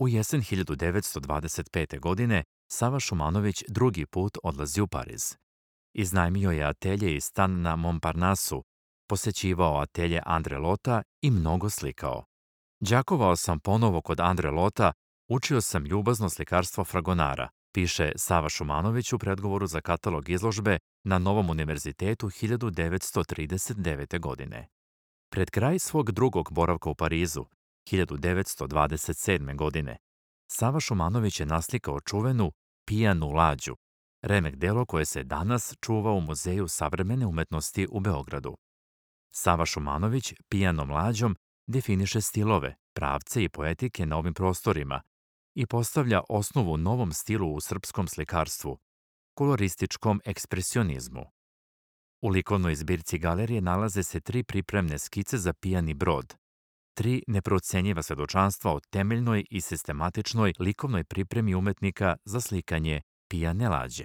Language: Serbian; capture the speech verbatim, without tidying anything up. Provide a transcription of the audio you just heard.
U jesen hiljadu devetsto dvadeset pete. godine Sava Šumanović drugi put odlazi u Pariz. Iznajmio je atelje i stan na Montparnasu, posećivao atelje Andre Lota i mnogo slikao. Đakovao sam ponovo kod Andre Lota, učio sam ljubazno slikarstvo Fragonara, piše Sava Šumanović u predgovoru za katalog izložbe na Novom univerzitetu hiljadu devetsto trideset devete. godine. Pred kraj svog drugog boravka u Parizu, hiljadu devetsto dvadeset sedme. godine, Sava Šumanović je naslikao čuvenu Pijanu lađu, remek delo koje se danas čuva u Muzeju savremene umetnosti u Beogradu. Sava Šumanović Pijanom lađom definiše stilove, pravce i poetike na ovim prostorima i postavlja osnovu novom stilu u srpskom slikarstvu, kolorističkom ekspresionizmu. U likovnoj zbirci galerije nalaze se tri pripremne skice za pijani brod, tri neprocenjiva svedočanstva o temeljnoj i sistematičnoj likovnoj pripremi umetnika za slikanje pijane lađe.